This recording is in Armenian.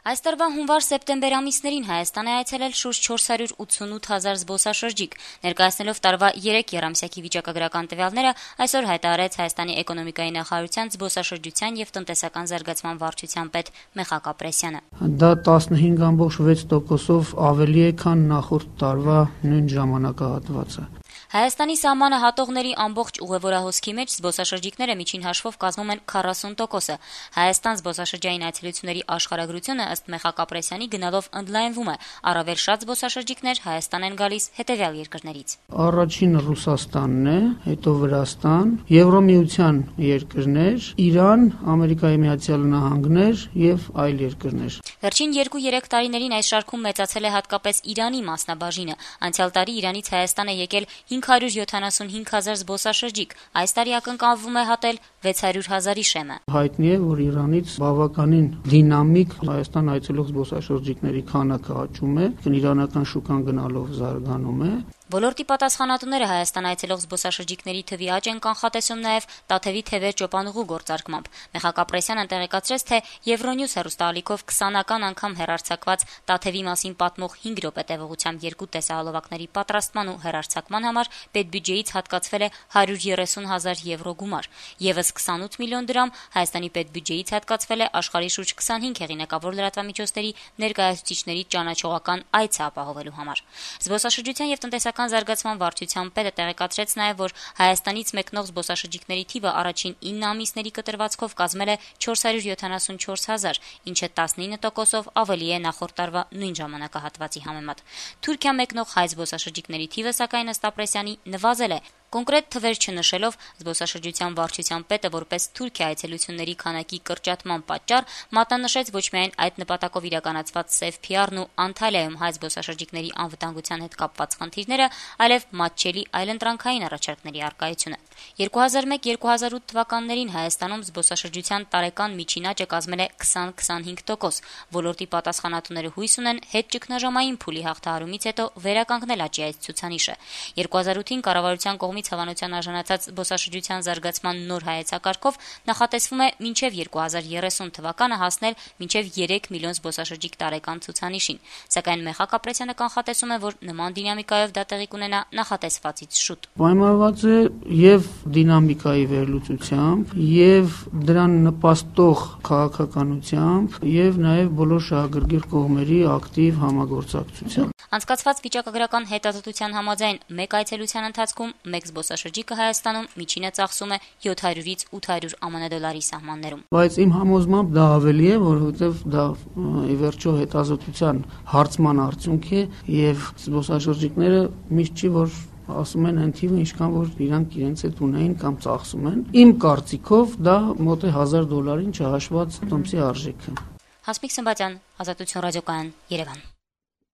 Այս տարվա հունվար-սեպտեմբեր ամիսներին Հայաստան է այցելել շուրջ 488 հազար զբոսաշրջիկ։ Ներկայացնելով տարվա 3 եռամսյակի վիճակագրական տվյալները, այսօր հայտարարեց Հայաստանի էկոնոմիկայի նախարարության զբոսաշրջության եւ տնտեսական զարգացման վարչության պետ Մեխակ Ապրեսյանը։ Դա 15.6%-ով ավելի է, քան նախորդ տարվա նույն ժամանակահատվածը։ Հայաստանի սահմանը հատողների ամբողջ ուղևորահոսքի մեջ զբոսաշրջիկները միջին հաշվով կազմում են 40%-ը։ Հայաստան զբոսաշրջային այցելությունների աշխարհագրությունը ըստ Մեխակ Ապրեսյանի գնալով ընդլայնվում է։ Առավել շատ զբոսաշրջիկներ Հայաստան են գալիս հետևյալ երկրներից։ Առաջինը Ռուսաստանն է, հետո Վրաստան, Եվրոմիության երկրներ, Իրան, Ամերիկայի Միացյալ Նահանգներ եւ այլ երկրներ։ Վերջին 2-3 տարիներին այս շարքում մեծացել է հատկապես Իրանի մասնաբաժինը։ Անցյալ տարի Իրանից Հայաստան է եկել 575 հազար զբոսաշրջիկ, այս տարի ակնկալվում է հատել 600 հազարի շեմը։ Հայտնի է, որ Իրանից բավականին դինամիկ Հայաստան այցելող զբոսաշրջիկների քանակը աճում է, իրանական շուկան գնալով զարգանում է։ Ոլորտի պատասխանատուները Հայաստան այցելող զբոսաշրջիկների թվի աճ են կանխատեսում նաև Տաթևի թևեր ճոպանուղու գործարկմամբ։ Մեխակ Ապրեսյանը տեղեկացրեց, թե Euronews հեռուստաալիքով 20-ական անգամ հեռարձակված Տաթևի մասին պատմող 5 րոպե տևողությամբ 2 տեսահոլովակների պատրաստման ու հեռարձակման համար պետբյուջեից հատկացվել է 130 հազար եվրո գումար։ Եվս 28 միլիոն դրամ Հայաստանի պետբյուջեից հատկացվել է աշխարհի շուրջ 25 հեղինակավոր լրատվամիջոցների ներկայացուցիչների ճանաչողական այցը ապահովելու համար։ Զբոսաշրջության եւ տնտեսական զարգացման վարչության պետը տեղեկացրեց նաև, որ Հայաստանից մեկնող զբոսաշրջիկների թիվը առաջին 9 ամիսների կտրվածքով կազմել է 474 հազար, ինչը 19%-ով ավելի է նախորդ տարվա նույն ժամանակահատվածի համեմատ։ Թուրքիա մեկնող հայ զբոսաշրջիկների թիվը, սակայն ըստ Ապրեսյանի, նվազել է։ Կոնկրետ թվեր չնշելով, զբոսաշրջության վարչության պետը որպես Թուրքիա այցելությունների քանակի կրճատման պատճառ մատնանշեց ոչ միայն այդ նպատակով իրականացված Safe PR-ն ու Անտալիայում հայ զբոսաշրջիկների անվտանգության հետ կապված խնդիրները, այլև մատչելի այլընտրանքային առաջարկների առկայությունը։ 2001-2008 թվականներին Հայաստանում զբոսաշրջության տարեկան միջին աճը կազմել է 20-25%։ Ոլորտի պատասխանատուները հույս ունեն հետ ճգնաժամային փուլի հաղթահարումից հետո վերականգնել աճի այս ցուցանիշը։ 2008-ին կառավարության կողմից հավանության արժանացած զբոսաշրջության զարգացման նոր հայեցակարգով նախատեսվում է մինչև 2030 թվականը հասնել մինչև 3 միլիոն զբոսաշրջիկ տարեկան ցուցանիշին, սակայն Մեխակ Ապրեսյանը կանխատեսում է, որ նման դինամիկայով դա տեղի կունենա նախատեսվածից շուտ։ Պայմանավորված է եւ դինամիկայի վերլուծությամբ, եւ դրան նպաստող քաղաքականությամբ, եւ նաեւ բոլոր շահագրգիռ կողմերի ակտիվ համագործակցությամբ։ Անցկացված վիճակագրական հետազոտության համաձայն մեկ այցելության ընթացքում մեկ զբոսաշրջիկը Հայաստանում միջինը ծախսում է 700-ից 800 ԱՄՆ դոլարի սահմաններում։ Բայց իմ համոզմամբ դա ավելի է, որովհետեւ դա ի վերջո հետազոտության հարցման արդյունք է, եւ զբոսաշրջիկները միշտ չի որ ասում են այն թիվը, ինչքան որ իրանք իրենց հետ ունեին կամ ծախսում են։ Իմ կարծիքով դա մոտ է $1000 չհաշված տոմսի արժեքը։ Հասմիկ Սմբատյան, Ազատություն ռադիոկայան, Երևան։